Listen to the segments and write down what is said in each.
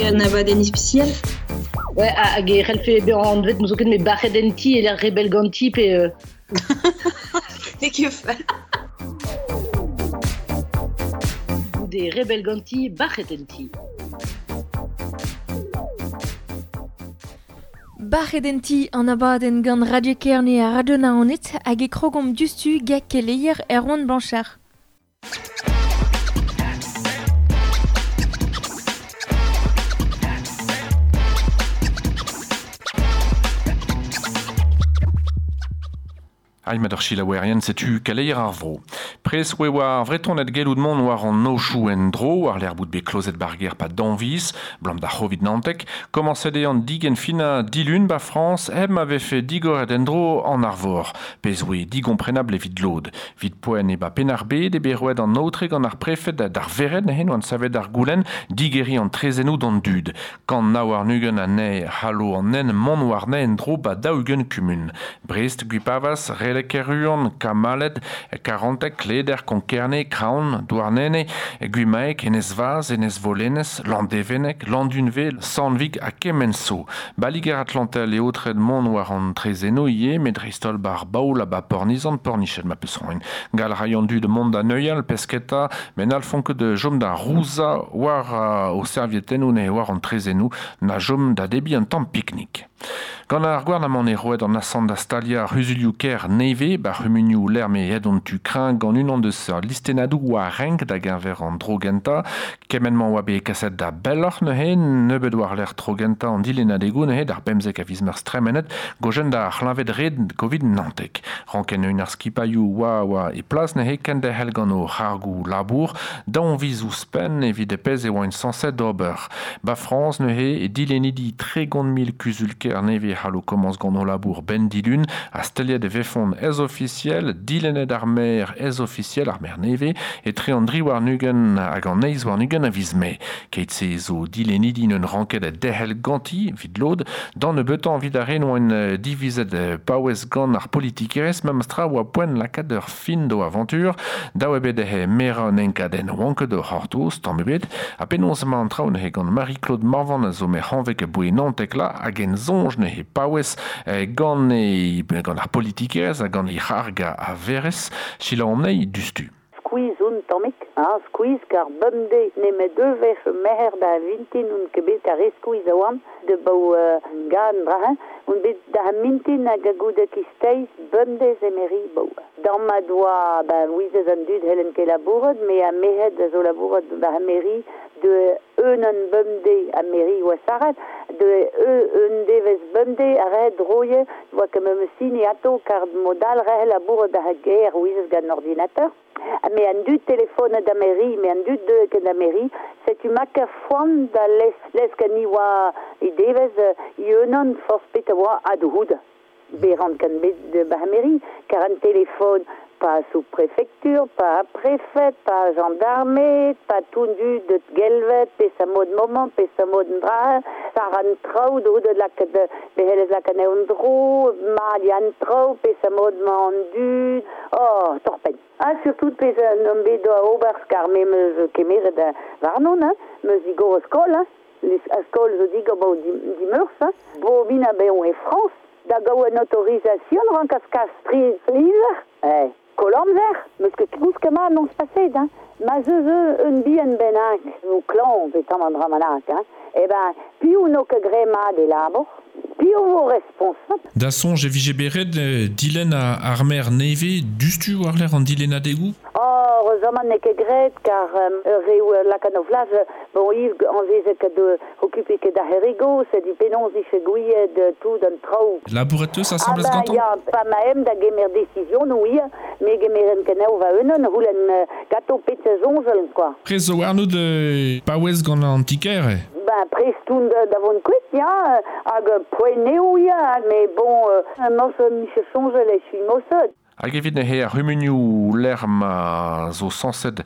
un abadenn ispisial. Ouais, hag e c'hellfe bezañ anvet n'eus ket met bac'het en ti e lec'h rebell ganti pe... Ne ket fall. Goude rebell ganti, bac'het en ti. Bac'het en ti an abadenn gant Radio Kerne ha Radio Naoned hag e krogomp diouzhtu gant keleier Erwan Blanchard. Aimat ar chilaouerien setu kaleier ar vro. Pres oe war vreton et gellout mont war an nochou en dro, war l'er bout bet klozet barger pa danviz, blam da c'hovid nantek, komañset eo an digen fina dilun ba Frans, heb ma vefe digoret en dro an arvor. Pez oe digomprenable evit lod. Vit poen e ba penarbed e bet roet an aotre gant ar prefed d'ar veret hen oan savet ar goulenn digeri an trezennoù d'an dud. Kant naou ar nugen an ne halo an nen mont war ne en dro ba daougen kumun. Brest, Gwipavas, Relek Keruan, Kamalet, Karantek, Kleder, Konkerne, Kraon, Douarnene, Gwimaek, Enez Vaz, Enez Volenez, Landevennek, Landunve, Sandvik ha Kemenso. Baliger Atlantel e aotred mont war an trezeno ivez, met dreist-holl bar baoul ha ba pornizan porniched ma peus roin. Gal raio an dud mont da neuial, pesketa, met n'hallfont ket jom da rouza war o servietennoù ne war an trezenoù na jom da debriñ un tamm piknik. Gant ar gouarnamant e roet an asant da staliañ ar c'huzulioù kêr nevez ba c'humunioù lec'h me aet an tu kreñv gant unan deus ar listennadoù war renk da geñver an dro gentañ. Kement-mañ oa bet kaset da belloc'h neuze, nebeut war-lerc'h tro gentañ an dilennadegoù neuze d'ar pemzek a viz meurzh tremenet, gojenn da c'hleñved red Covid nantek. Ranken eun ar skipailhoù oa oa e plas neuze kenderc'hel gant o c'hargoù labour, daou viz ouzhpenn evit e pezh e oant sañset d'ober. Ba Frañs neuze e dilennidi 30 000 kuzul-kêr nevez c'hallo komañs gant o labour benn dilun ha staliet e vefont ez ofisiel, dilennet ar maer ez ofisiel ar maer nevez, etre an dri warn-ugent hag an eizh warn-ugent a viz Mae. Keit-se zo dilennidi n'eun ranket derc'hel ganti, evit lod, d'an nebeutañ evit ar re n'oant divizet paouez gant ar politikerezh, memes tra oa poent lakaat ur fin d'o avantur, dav eo bet dezhe merañ un enkadenn oant ket o c'hortoz, tamm ebet, ha penaos emañ an traoù neuze gant Marie-Claude Morvan a zo merc'hañvek aboe Nantekla hag en soñj neuze paouez gant e, gant ar politikerezh ha gant he c'harg a verez, selaouomp anezhi diouzhtu. Skuizh on tammig, ha skuizh kar bemdez nemet ur wech merc'her da vintin on ket bet kar re skuizh a oan de bou gan dra-hein on bet da mintin hag goude kisteiz bemdez emeri bou. Dam ma doa ben ouizez an dud hellen ket labouret me a merc'hed a zo labouret ba mairie de un an bemdez a mairie oa sarret de un devez bemdez a rehet droie oa ket memes sini ato kar modal rehe labouret da ger ouizez gant an ordinateur. Me an dud telefone da mairie, me an dud deuet ket da mairie, setu ma ket foan da les, les ket ni oa e devez i unan forzh petra oa a-doud. Beran kan bet de ba mairie, kar an telefon pa sous-préfecture, pa préfet, pa gendarme, pa tout dud de gelvet, pe sa mod moment, pe sa mod dra, sar an traoù doud lakaat behelez lakaat an dro, ma di an traoù, pe sa mod ma an dud, oh, torpenn. Ah, surtout pez an om bet doa ober kar me meus kemeret warnon, hein, meus digor skol, hein, a skol zo digor bo dimeurzh, hein, bo min a beon e Frañs, da gaout un autorisation rankas kas tri lizer, eh, koll amzer, meus ket kousket mat noz paset, hein. Ma zeus un bihan bennak, zo klañv pe tamm an dra bennak, hein, eh ben, piv n'o ket graet mat e labour, piv vo responsabl. Da soñj e vije bet ret dilenn ar maer nevez diouzhtu war-lerc'h an dilennadegoù? Oh, heureusement n'eo ket graet kar ur reoù lakaat o flas, bon, Yves anvezet ket okupiñ ket ar c'herigo, sed penaos dije gouiet tout an traoù. Labouret eus asambles ah, gantañ? Ya, pa ma em da gemer decision, oui, me gemeren kenaou va unan, c'houlenn gato pet soñjal, quoi. Prest zo warnout paouez gant an ti-kêr? Ben, prest on da vont kuit, ya, hag poent eo, ya, mais bon, morse miche soñjal e suis mosod. Hag evit neuze ar c'humunioù lec'h ma zo sañset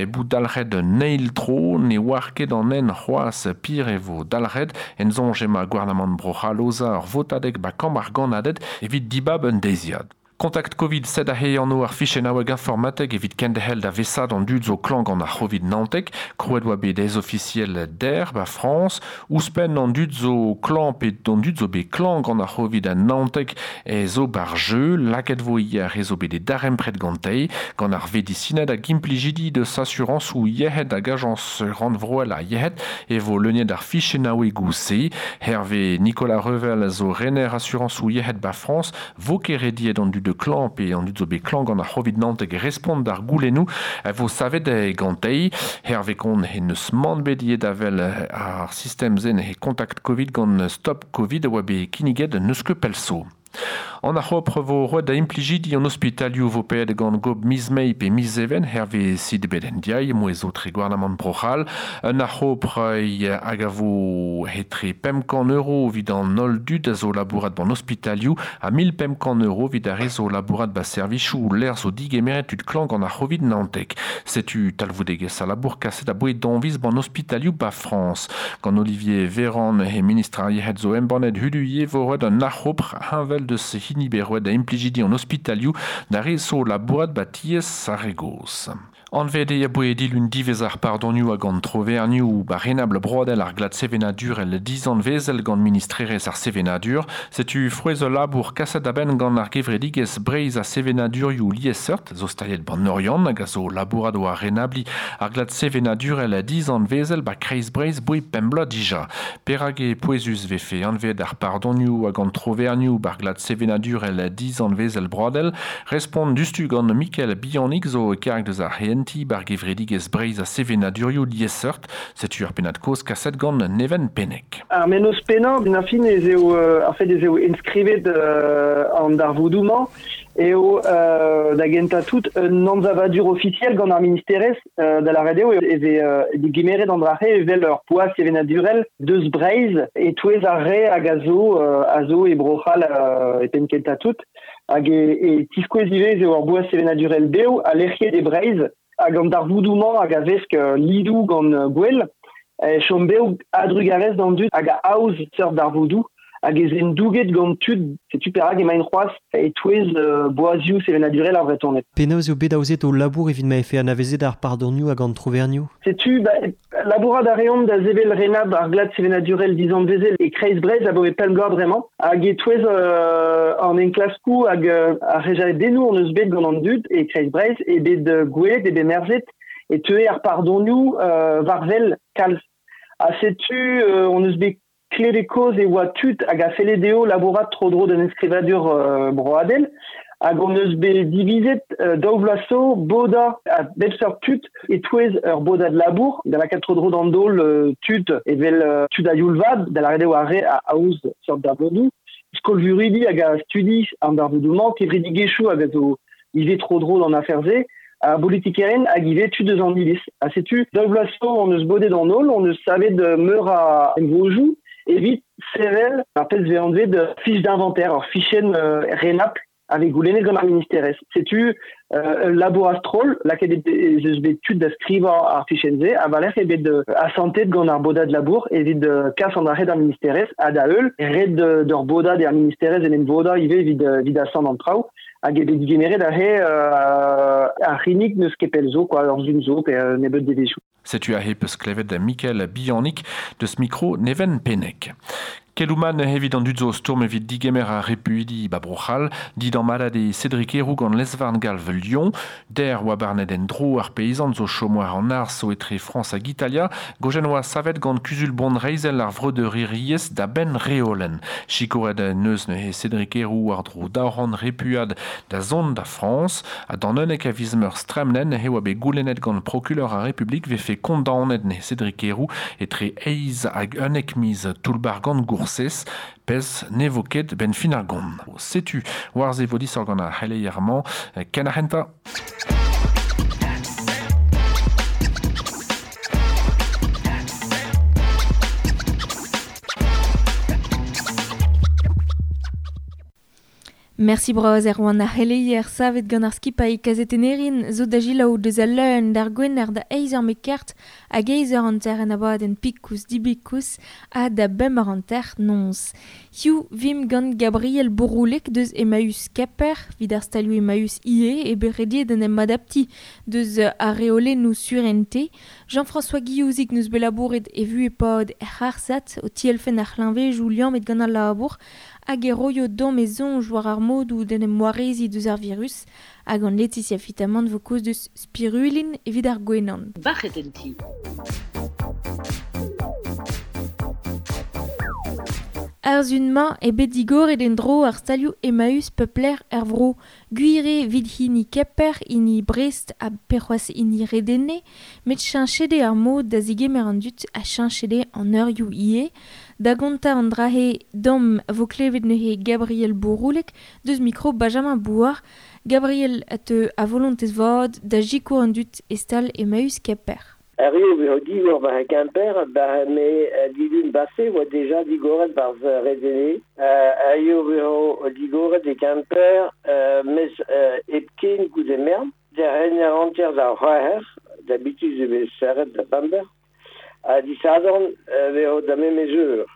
bout dalc'het un eil tro, ne oar ket an nen c'hoazh pir e vo dalc'het, en soñj emañ gouarnamant Bro-C'hall aozañ ur votadeg ba kambr ar gannaded evit dibab un deiziad. Kontakt Covid sed a he anno ar fichennaoueg informatek evit kendehel da vesad an dud zo klank an ar Covid nantek, krouet oa bet ez officiel der ba France, ouzpen an dud zo klank pe an dud zo bet klank an ar Covid a nantek e zo bar jeu, laket vo hier e zo bet e darempret gantei, gant ar vedisined hag implijidi de s'assurance ou yehed hag agence randvroel a yehed e vo leuniet ar fichennaoueg se, Hervé Nicolas Revel zo rener assurance ou yehed ba France, vo ket rediet an dud de klan pe an dud zo bet klan gant ar Covid nanteg respont d'ar goulennou vo savet gantei. Hervé kon he neus man bet iet avel ar sistem zen he kontakt Covid gant stop Covid a oa bet kinniget neus ket pelso. An ar c'hopr vo roet da implijidi an ospitalioù vo paeet gant gob miz mei pe miz even herve sid bet en diai, mo ez tre gouarnamant brochal. Un ar c'hopr hag a vo hetre 500 euro vid an ol dud a zo labourat ban ospitalioù ha 1500 euro vid ar re zo labourat ba servichou l'air zo digemeret tud klank an ar c'hovid nantek. Setu talvoudegez a labour kaset a boe danviz ban ospitalioù ba France. Gant Olivier Véran he ministr ar yehed zo embannet hudu ye vo roet an ar c'hopr heñvel deus hini bet roet da implijidi an ospitalioù da re zo labourat ba tiez ar re goz. Anvet e aboe dilun divez ar pardonioù hag an trovernioù ba renabl broadel ar glad sevenadur el dizan vezel gant ministrerez ar sevenadur. Setu frouez labour kaset a-benn gant ar gevredigez Breiz a sevenadurioù liesseurt, zo staliet ban Oriant hag a zo labourad o ar renabli ar glad sevenadur el dizan vezel ba kreiz Breiz boe pembla dija. Perag e pouezus vefe anvet ar pardonioù hag an trovernioù bar glad sevenadur el dizan vezel broadel, respont dustu gant Mikel Bianik zo karg deus ar henti bar gevredigez Breiz a sevenadurioù liesseurt, setu ar pennad koz kaset gant Neven Penek. Ar mennoz pennañ, ben ar fin ez eo, ar fet ez eo enskrivet an darvoudoù-mañ, eo da gentañ tout un anzavadur officiel gant ar ministerez da la radio ez e digemeret an drache evel ur poaz sevenadurel deus Breiz e touez ar re hag a zo e brochal e penn kentañ tout hag e tiskouez ivez eo ur boaz sevenadurel bev a lec'hiet e Breiz hag an darvoudoù-mañ hag a vesk lidoù gant gwell chom bev adrugarez d'an dud hag a aoz seurt darvoudoù hag ez en douget gant tud, setu perak emaint c'hoazh e touez boazioù sevenadurel ar Vretoned. Penaos eo bet aozet o labour evit ma efe anavezet ar pardonioù hag an trovernioù? Setu, ba, labourad a reomp da zevel renab ar glad sevenadurel dizan vezel e kreiz Breiz a boe pemp bloaz bremañ hag e touez an enklaskoù hag ar rejadennoù on eus bet gant an dud e kreiz Breiz e bet gwelet e bet merzet e teue ar pardonioù varvel kalz. Ha setu on eus bet kleve koz e oa tud hag a felle dezho labourat tro-dro d'un enskrivadur broadel hag on eus bet divizet daou vloaz zo boda a bep seurt tud e touez ur bodad labour da lakaat tro-dro d'an daol tud evel tud a youl vat da lâret eo ar re a aoz seurt darvoudoù skolvuridi hag a studi an darvoudoù-mañ kevredigezhioù hag a zo ivez tro-dro d'an afer-se a politikeren hag ivez tud eus an iliz. Ha setu daou vloaz zo on eus bodet an holl, on eus savet meur a emvojoù evit sevel ar pezh vez anvet fiche d'inventaire, ur fichenn renabl avec goulennet gant ar ministerez. Setu ul labour a-stroll, lakaet ez eus bet tud da skrivañ ar fichenn-se, ha war-lerc'h eo bet asantet gant ar bodad labour evit kas an arc'hed ar ministerez, ha da heul, ret d'ur bodad ar ministerez en em vodañ ivez evit asant an traoù, hag eo bet digemeret aze ar c'hinnig n'eus ket pell zo, quoi, ur zun zo, pe nebeut devezhioù. Setu aze peus klevet da Mikel Bianik deus mikro Neven Penek. Kelouman evit an dud zo stourm evit digemer ar repuidi ba Bro-C'hall, dit an malad e Cédric Herrou gant lesvarn galv Lyon, der oa barnet en dro ar peizant zo chomoar an arz zo etre France hag Italia, gojen oa savet gant kuzul bon reizel ar vreudeur iriez da ben reolen. Chikoret neus neuze Cédric Herrou ar dro daoran repuad da zon da France, ha d'an unnek a viz meur stremlen he oa bet goulennet gant prokuleur ar Republik vefe kondaonet ne Cédric Herrou etre eiz hag unnek miz toulbar gant goursez, pez ne vo ket ben fin ar gont. Setu war ze vo disor gant ar c'heleier-mañ, ken ar c'hentañ. Merci braz Erwan ar c'heleier savet gant ar skipailh kazetennerin zo da jilaou deus al leun d'ar gwener da eiz eur mekert hag eiz eur hanter en abadenn pikous dibikous ha da bemp eur hanter nonz. Hiu vim gant Gabriel Bouroulek deus Emmaüs Kemper, vid ar stalioù Emmaüs ie e berediet en em adapti deus ar reolennoù surente. Jean-François Guillouzik neus bet labouret e vu e-pad er c'harsat o tielfen ar c'hleñvejoù liammet gant al labour hag e roio dom e soñj war ar modoù d'en em warezi deus ar virus hag an Laetitia Fitamant vo koz deus spirulin evit ar gwenan. Bac'het en ti. Ar zun-mañ e bet digoret en-dro ar stalioù Emmaüs peupler er vro. Gwir eo evit hini Kemper, hini Brest ha pe c'hoazh hini Redene, met cheñchet eo ar mod da zigemer an dud ha cheñchet eo an eurioù ivez. Da gontañ an dra-se dam vo klevet neuze Gabriel Bouroulek deus mikro Benjamin Bouard. Gabriel a teu a volontez vat da sikour an dud e stal Emmaüs Kemper. Erru eo digor war e Kemper, ba me dilun base oa deja digoret barz Redene. Erru eo digoret e Kemper, mes hepken goude mern. Der rener hanter da c'hwec'her, d'habitude e vez serret da bamber. Ha disadorn veo da memes eur.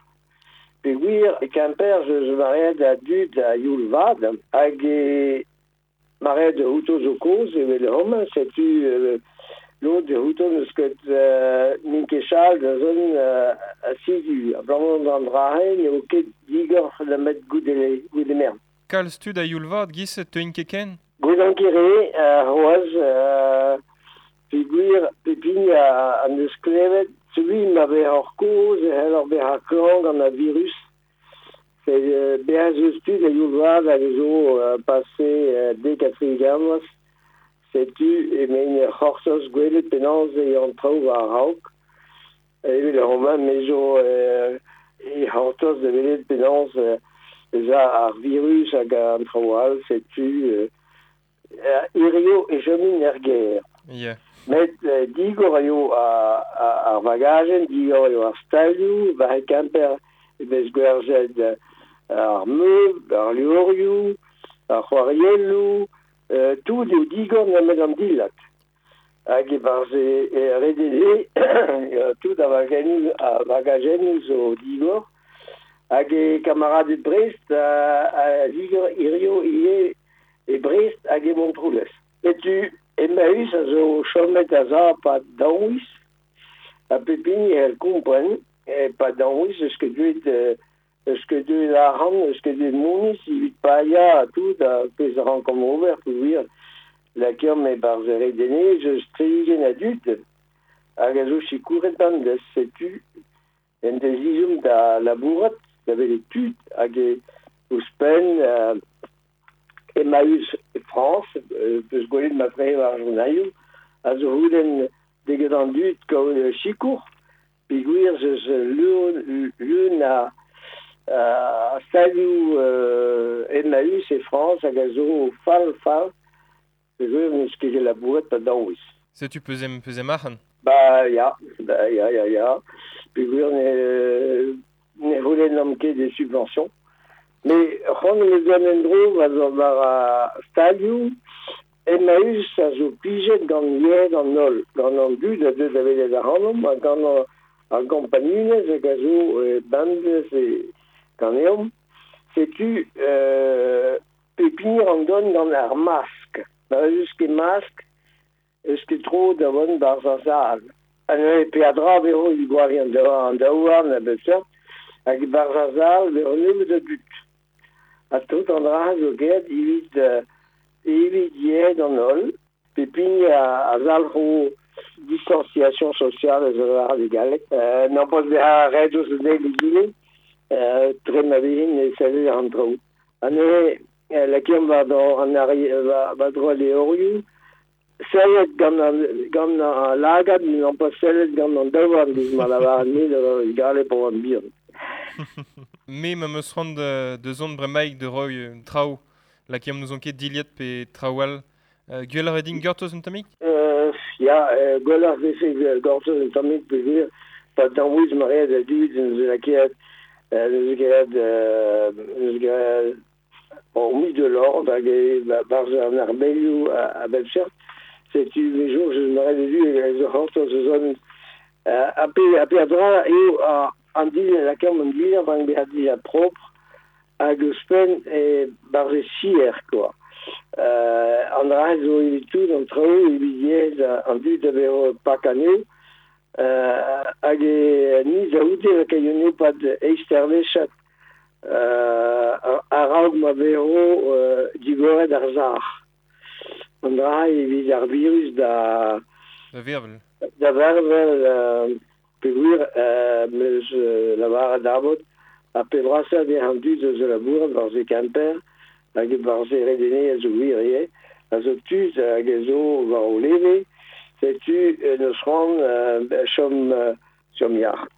Peogwir e Kemper je mareet a dud a youl vat, hag e mareet outo zo kozh evel homañ, setu lod e outo n'eus ket n'int ket chal da zon a sidu. Abalamour d'an dra-se n'eo ket digor da met goude mern. Kalz tud a youl vat giz teuint ket ken? Goude ket re, c'hoazh, peogwir pep hini a neus klevet celui ma vez hor kozh e c'hell bezañ klañv gant ar virus. Bezañ eus tud a youl vat hag a zo pase dek ha tri-ugent vloaz. Setu emaint ur c'hortoz gwelet penaos eo an traoù war a-raok. Evel homañ me zo e c'hortoz da welet penaos ez a ar virus hag an traoù all. Setu hirio e chomin er gêr. Yeah. Met digor eo ar vagajenn, digor eo ar stalioù, war e Kemper e vez gwerzhet ar meubl, ar levrioù, ar c'hoarielloù, tout eo digor nemet an dilhad. Hag e-barzh e Redene, tout ar vagajennoù zo digor. Hag e kamaraded Brest a zigor hirio ivez e Brest hag e Montroulez. Setu Emmaüs a zo chomet a-za pad daou viz, ha pep hini e c'hell kompren, pad daou viz eus ket deuet eus ket deuet arc'hant, eus ket deuet moniz, evit paeañ ha tout ar pezh a rankomp ober peogwir lakaomp e-barzh Redene eus tri-ugent a dud hag a zo sikouret bemdez. Setu en deus ezhomm da labourat, da welet tud hag ouzhpenn Emmaüs France, peus gwelet ma tre war journalioù, a zo c'houlenn deget an dud kaout sikour, peogwir eus leun a stalioù Emmaüs e France hag a zo fall fall, peogwir n'eus ket labouret pa daou viz. Setu peus em arc'hant? Ba ya, ba ya, ya, ya. Peogwir ne c'houlennomp ket des subventions. Mais c'hoant em eus gant en-dro war ar stalioù, Emmaüs a zo plijet gant yec'hed an holl, gant an dud a deu da welet ac'hanomp, ha gant ar gompagnunezh hag a zo bemdez ganeomp. Setu pep hini an don gant ar mask. Ma eus ket mask, eus ket tro da vont barzh ar sal. Ha neuze peadra vezo evit gwariñ an daouarn a bep seurt, hag barzh ar sal vezo nebeut a dud. Ha tout an dra zo graet evit yec'hed an holl. Pep hini a zalc'ho distanciation sociale eus ar e galleg. N'am boa bezañ ret ouzh an eil egile, tre ma vezin e sellet an traoù. Ha neuze lakaomp war dro al levrioù, sellet gant an lagad, n'am boa sellet gant an daouarn, giz ma lavaran me da galleg pour an bihan. Me ma meus c'hoant de zont bremaik de roy traoù, lakaomp n'ouzon ket dilhad pe traoù all. Gwelloc'h eo din gortoz un tammig? Ya, gwelloc'h vefe gortoz un tammig peogwir pa daou viz ma reet a dud neus lakaet neus graet O mis de l'ordre hag e barz an arbelioù a bep seurt. Setu me jour je mare de du hag zo c'hortoz eus an a pe a dra eo an dile la kemm an dile ban bezañ dija propre hag ouzhpenn e barz e sier quoi. An dra zo evit tout an traoù evit yezh an dud da vezo pak anezho hag e ni da oude la kaionio pad eizh a-raok ma vezo digoret ar zar. An dra evit ar virus da... Da vervel. Da vervel, peogwir meus lavaret abot a pe brasañ de an dud eus labourat war ze Kemper hag war ze redene a zo gwir ivez, a zo tud hag a zo war o leve, setu neus c'hoant chom yac'h.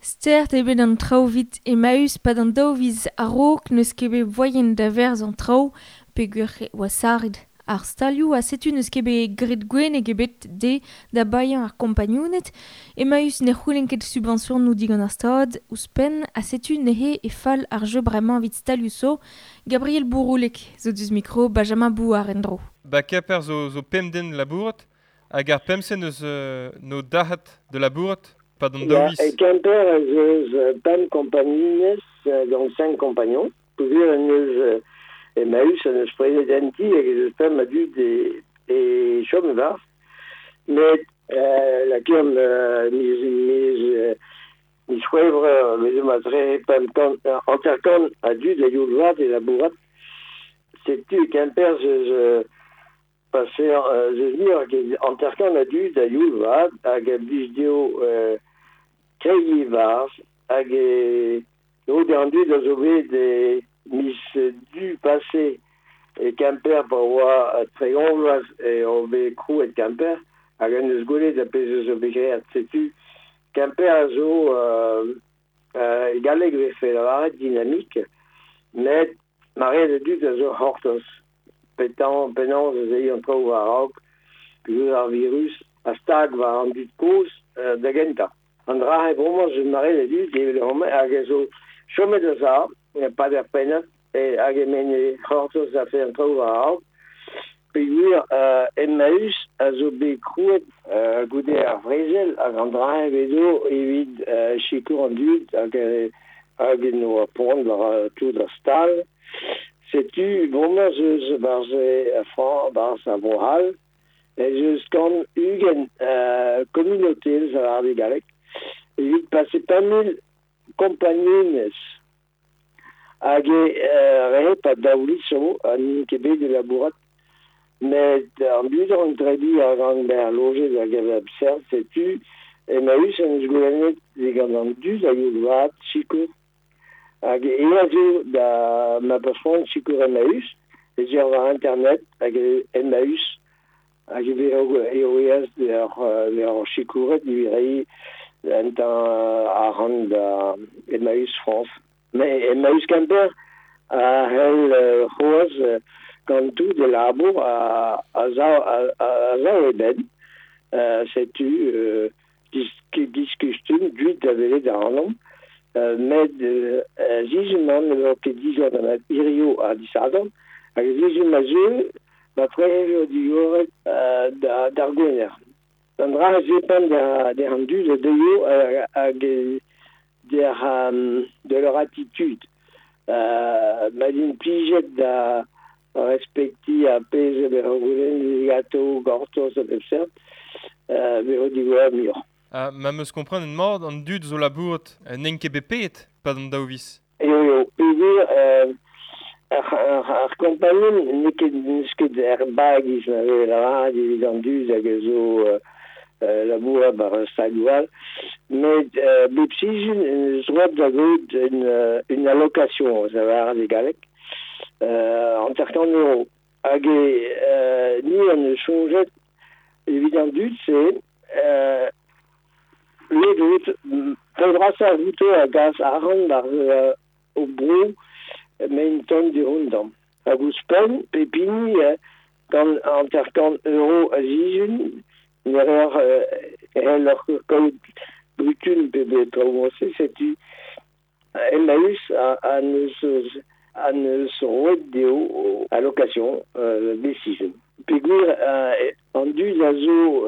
Stert eo bet an traoù 'vit Emmaüs pad an daou viz a-raok n'eus ket bet voaien da verzh an traoù peogwir oa saret ar stalioù ha setu n'eus ket bet graet gwenneg ebet dezhe da baeañ ar kompagnuned. Emmaüs ne c'houlenn ket subvensionoù digant ar Stad ouzhpenn ha setu neuze e fall ar jeu bremañ evit stalioù zo. Gabriel Bouroulek zo deus mikro Benjamin Bouard en-dro. Ba Kemper zo pemp den labourat hag ar pemp-se neus no dac'hat de labourat pad an daou viz. E Kemper ez eus pemp kompagnunez gant 5 compagnons. Peogwir en eus Emmaüs an eus prenet en ti hag ez eus pemp a dud e chom e-barzh. Met la kemm miz C'hwevrer vezo ma tre pemp kant hanter-kant a dud a youl vat e labourat. Setu Kemper eus pase eus muioc'h ket hanter-kant a dud a youl vat hag a blij dezho kregiñ e-barzh hag e lod an dud a zo bet e miz du pase e Kemper pa oa 30 vloaz e o bet krouet Kemper hag en eus gwelet a pezh eus o bet graet. Setu Kemper a zo e galleg vefe lavaret dynamique, met mare a dud a zo c'hortoz penaos ez eo an traoù war-raok peogwir ar virus a stag war an dud kozh da gentañ. An dra e bremañ zo mare a dud evel homañ hag a zo chomet a za pad ar pennad hag emaint e c'hortoz a fe an traoù war-raok. Peogwir Emmaüs a zo bet krouet goude ar vrezel hag an dra e vezo evit sikour an dud hag en oa poan war tout ar stal. Setu bremañ ez eus barzh a Frañs, barzh a Bro-C'hall, ez eus kant ugent communauté eus ar galleg evit pase 5 000 kompagnunez. Hag e re pa daou zo ha n'int ket bet e labourat. Met an dud an trebi a rank bezañ lojet hag a bep seurt, setu Emmaüs en eus goulennet digant an dud a youl vat sikour. Hag e a zo da ma peus c'hoant sikour Emmaüs, ez eo war internet hag Emmaüs hag e eo eas d'ur sikouret evit reiñ un tamm arc'hant da Emmaüs France. Mais Emmaüs Kemper a c'hell c'hoazh gant tout e labour a zav e benn. Setu diskustum dud da welet ac'hanomp. Met sizhun-mañ ne vo ket digor da hirio ha disadorn hag sizhun ma zeu ma tre eo digoret d'ar Gwener. An dra a zepant der an dud a deuio hag de leur attitude. Ma din plijet da respektiñ ar pezh a vez goulenn gato gortoz a bep seurt, vezo digoret muioc'h. Ma 'm eus komprenet mat an dud zo labourat n'int ket bet paeet pad an daou viz. Eo eo, peogwir ar kompagnun n'eo ket n'eus ket er bagiz ma vez lavaret evit an dud hag a zo labourat war ar stalioù all, met bep sizhun eus droad da gaout une allocation, a lavaret e galleg, 50 euro. Hag e ni an eus soñjet evit an dud-se lod out pe brasañ outo a gas arc'hant war o bro maen ton du-hont. Hag ouzhpenn pep hini gant 50 euro a sizhun ne reer c'helloc'h kaout brutun pe bet traoù-se, setu Emmaüs a neus an eus roet deo allocation décision. Peogwir an dud a zo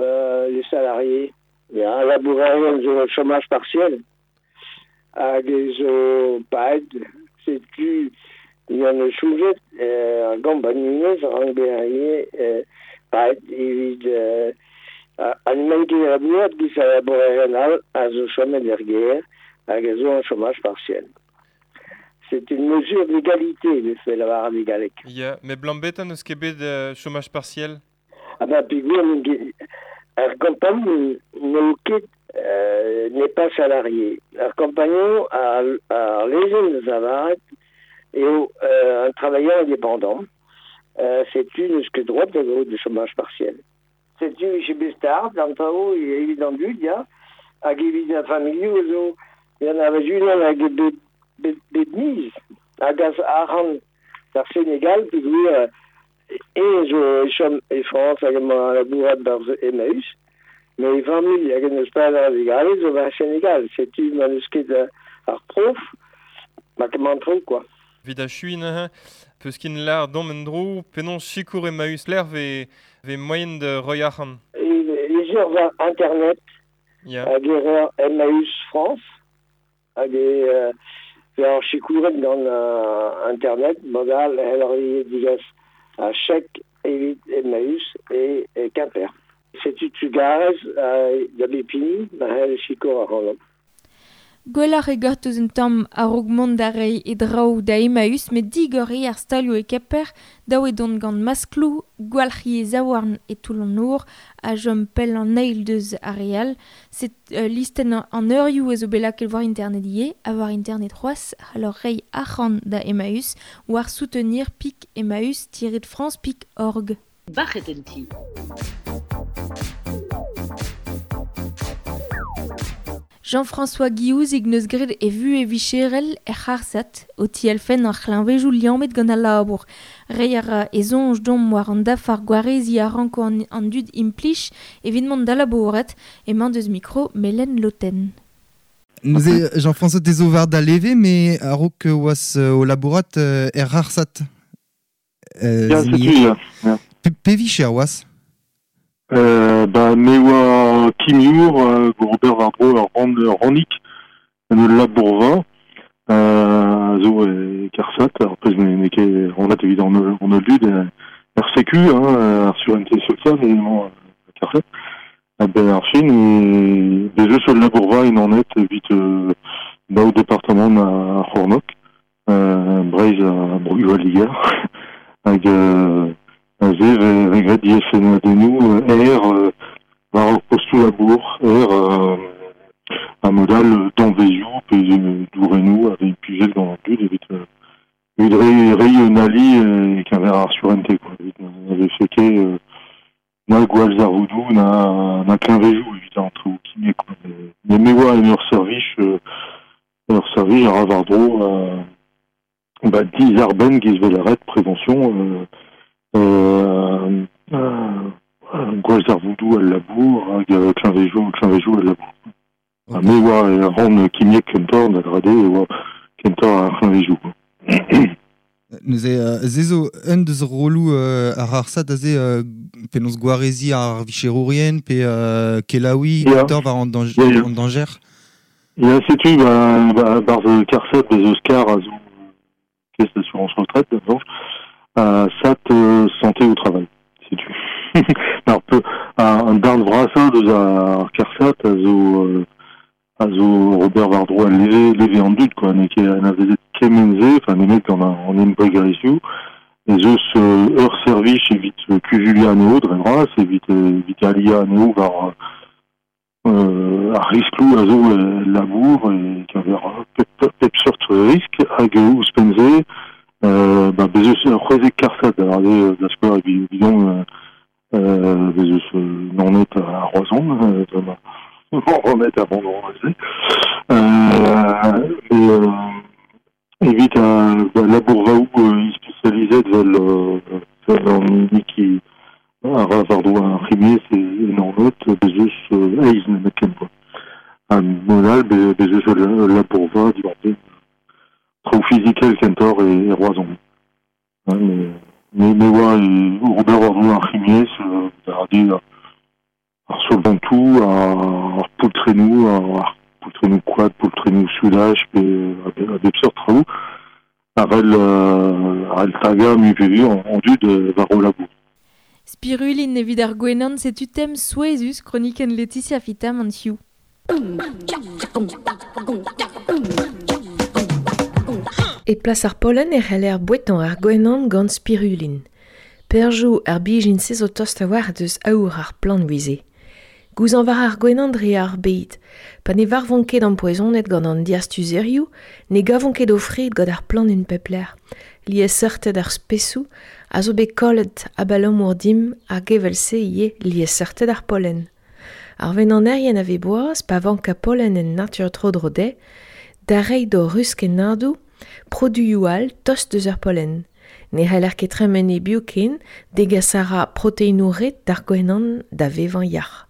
les salariés, ya, labourerien zo chômage partiel, hag e zo paet, setu yan eus choujet, ar gampagnunez rank bezañ paet evit an emañ ket labourat giz a labourerien all a zo chomet er gêr hag a zo an chômage partiel. C'est une mesure d'égalité, de fait la galek. Ya, mais blambet an eus ket bet chômage partiel? Ah ben, peogwir ar campagne n'eo ket n'est pas salarié. Ar compagnon ar lezenn da zavaret eo un travailleur indépendant. Setu n'eus ket droit da gaout de chômage partiel. Setu vije bet start, an traoù evit an dud, ya, hag evit ar familhoù zo, yan a vez unan hag bet miz hag az arc'hant d'ar Senegal peogwir e zo e chom e Frañs hag emañ labourat barzh Emmaüs, met e familh hag en eus pad ar vugale zo war Senegal. Setu ma n'eus ket ar prof, ma ket an traoù, quoi. Evit achuiñ neuze, peus kin lar dom en-dro, penaos sikour Emmaüs lec'h ve moaien da roiñ arc'hant? E ur war internet, hag e reer Emmaüs France, hag e ar sikouret gant internet, modal hell ar digas a chèque evit Emmaüs e Quimper. Setu trugarez da bep hini, ma c'hell sikour ac'hanomp. Gwelloc'h eo gortoz un tamm a-raok mont da reiñ e draoù da Emmaüs met digor eo ar stalioù e Kemper, dav eo dont gant maskloù, gwalc'hiñ e zaouarn e toull an nor ha chom pell an eil deus ar re all. Set listenn an eurioù a zo bet lakaet war internet ivez, ha war internet c'hoazh c'hallor reiñ arc'hant da Emmaüs war soutenir pik emmaüs-france.org. Bac'het en ti. Jean-François Guillouzig neus graet e vuhez vicherel er c'harsat, o tielfenn ar c'hleñvejoù liammet gant al labour. Reiñ a ra e soñj domp war an dafar gwareziñ a ranko an dud implij evit mont da labourat, emañ deus mikro Melen Loten. Neuze Jean-François te zo war da leve, me a-raok oas o labourat er c'harsat. Ya, setu, ya. Pe vicher oas? Ba, me oa kimiour, Robert war-dro ur rannig, en ul labourva, zo e Karsat, ar pezh n'eo ket rannet evit an holl dud, er sécu, hein, ar sûreté sociale, emañ Karsat. Ben ar fin, e bez eus ul labourva en anet evit daou departamant ar C'hornok, Breizh ha Bro-Liger, hag aze regret dielfennadennoù er war ur postoù labour, er a modal danvezioù pe dourennoù a vez implijet gant an dud evit reiñ un ali e-keñver ar surente, quoi. Evit na vefe ket na gwall zarvoudoù, na kleñvejoù evit an traoù kimiek, quoi. Mais me oa en ur servij a ra war-dro ba dizarbenn giz vel aret prévention gwall zarvoudoù al labour hag kleñvejoù al labour. Ha me oa ran kimiek kentoc'h da grade e oa kentoc'h ar c'hleñvejoù. Neuze ze zo un deus roloù ar arsat aze penaos gwareziñ ar vicherourien pe kelaouiñ kentoc'h war an dañjer. Ya, setu ba barzh Karsat bez eus kar a zo caisse d'assurance retraite d'abord. Sat santé au travail, setu. Ar peu an darn vrasañ deus ar Karsat a zo Robert war-dro a leve an dud, quoi, n'eo ket anavezet kement-se, enfin nemet gant an embregerezhioù, ez eus ur servij evit kuzuliañ anezho dre vras, evit aliañ anezho war ar riskloù a zo labour e keñver pep seurt risk, hag ouzhpenn-se ba bez eus ur c'hwezek Karsat da da skouer evidon bez eus Naoned ha Roazhon, Ronet avant de evit labourvaoù spécialisé vel an hini ki a ra war-dro ar c'himiez e Naoned, bez eus eizh nemetken, quoi. Ha modal bez eus ul labourva diwar-benn Traoù fizikel kentoc'h e Roazhon. Hein, mais oa e Robert war ar c'himiezh, da rade ar solvantoù, ar poultrennoù, ar poultrennoù koad, poultrennoù soudaj, pe a bep seurt traoù, ar el taga mu pe an dud war o labour. Spirulin evit ar gwenan setu tem souezhus kronikenn Laetitia Fitam an hiziv. E plas ar pollen e c'heller bouetañ ar gwenan gant spirulin. Perjoù ar bijin se zo tost a-walc'h deus aour ar plant wize. Gouzañ war ar gwenan dre ar bed. Pa ne varvont ket ampoezonet gant an diastuzerioù, ne gavont ket o fred gant ar plant en pep lec'h. Liesseurted ar spesoù a zo bet kollet abalamour dimp hag evel-se ivez liesseurted ar pollen. Ar venanerien a vez boaz pa vank a pollen en natur tro-dro dezhe, da reiñ d'o ruskennadoù produioù all tost deus ar pollen. Ne c'heller ket tremen e-biou ken degas a ra proteinoù ret d'ar gwenan da vevañ yac'h.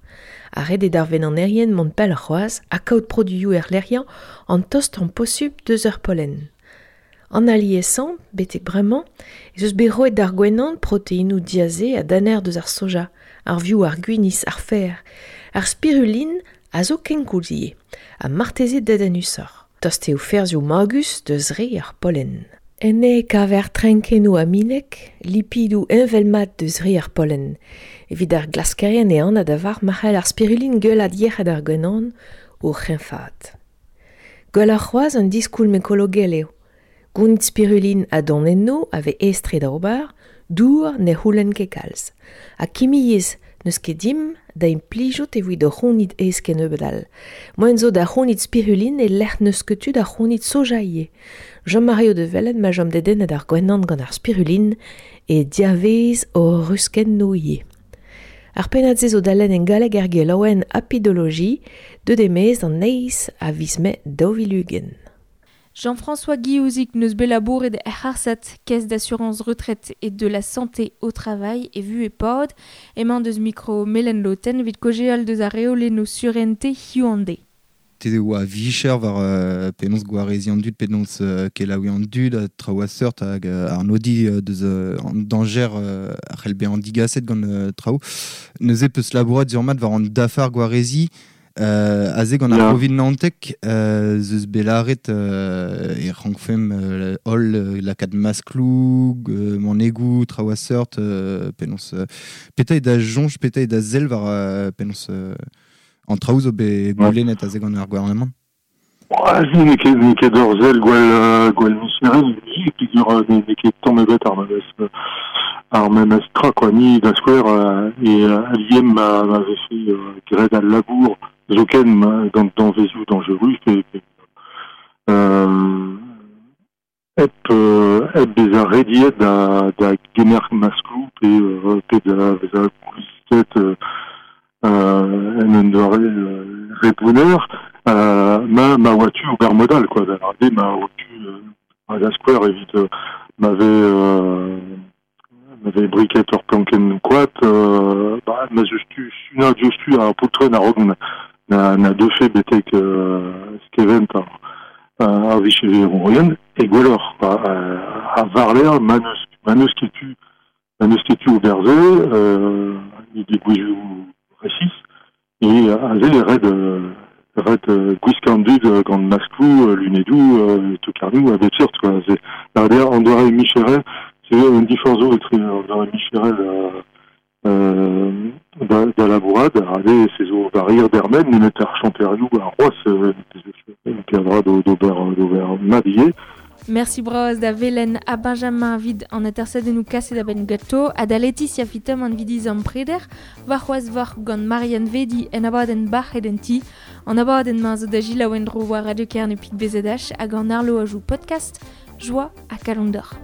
Ar ret eo d'ar venanerien mont pell c'hoazh ha kaout produioù erlec'hiañ an tost an posupl deus ar pollen. An aliesañ, betek bremañ, ez eus bet roet d'ar gwenan proteinoù diaze ha daner deus ar soja, ar vioù, ar gwinizh, ar fer. Ar spirulin a zo kenkoulz ivez, ha marteze dedennusoc'h. Tost eo ferzhioù magus deus re ar pollen. Enne e kaver trenkennoù aminek, lipidoù heñvel-mat deus re ar pollen. Evit ar glaskerien e anat a-var ma c'hell ar spirulin gwellat yec'hed ar gwenan o c'hreñfaat. Gwelloc'h c'hoazh un diskoulm ekologel eo. Gounit spirulin a donennoù a vez aes-tre da ober, dour ne c'houlenn ket kalz. Ha kimiezh n'eus ket dimp da implijout evit o c'hounit aes kennebeut all. Moaien zo da c'hounit spirulin e lec'h n'eus ket tu da c'hounit soja ivez. Jean-Mario de Velen ma chom dedennet ar gwenan gant ar spirulin e diavez o ruskennoù ivez. Ar pennad-se zo da lenn en galleg er gelaouenn Apidologie, deut e-maez d'an eizh a viz Mae 2020. Jean-François Guillouzic neus bet labouret er c'harsat, caisse d'assurance retraite et de la santé au travail e vu e pod, emañ deus mikro Melen Loten evit kaozeal deus ar reolennoù surente hiziv an deiz. Te oa vicher war penaos gwareziñ an dud, penaos kelaouiñ an dud, ha traoù a seurt hag arnodiñ deus an dañjer a c'hell bezañ digaset gant traoù. Neuze peus labourat sur-mat war an dafar gwareziñ aze gant ar Covid naontek ez eus bet lâret e rankfemp holl lakaat maskloù, manegoù, traoù a seurt, penaos petra eo da soñj, petra eo da sell war penaos an traoù zo bet goulennet aze gant ar gouarnamant? N'eo ket ur sell gwell micherel, peogwir n'eo ket tamm ebet ar memes tra quoi. Ni da skouer e aliem ma vefe graet al labour zoken gant danvezioù dañjerus pe hep bezañ rediet da gemer maskloù pe da vezañ gwisket en un doare re bonheur, ma oa tu ober mod all quoi, da lâret ma oa tu da skouer evit ma vez briket ur plankenn koad, ma zeus tu sunañ diouzhtu ar poultrenn a-raok na deufe betek skevent ar vicherourien, e gwelloc'h a war-lerc'h ma n'eus ket tu ober se, degouezhioù resis, e aze e ret gwiskañ an dud gant maskloù, lunedoù, tokarnoù, a bep seurt quoi. An doare micherel, c'est un diforc'h zo etre an doare micherel da labourat, aze se zo war dermen, nemet ar chanterioù ar c'hoazh peadra d'ober mat ivez. Merci bras da Velen ha Benjamin vid an atersadennoù kaset a-benn ganto ha da Laetitia Fitam an vidiz an preder, war c'hoazh war gant Marianne Vedi en abadenn bac'het en ti, an abadenn-mañ zo da selaou en-dro war Radio Kerne Pik BZH hag an Arlo a joue podcast, joie ha kalon d'or.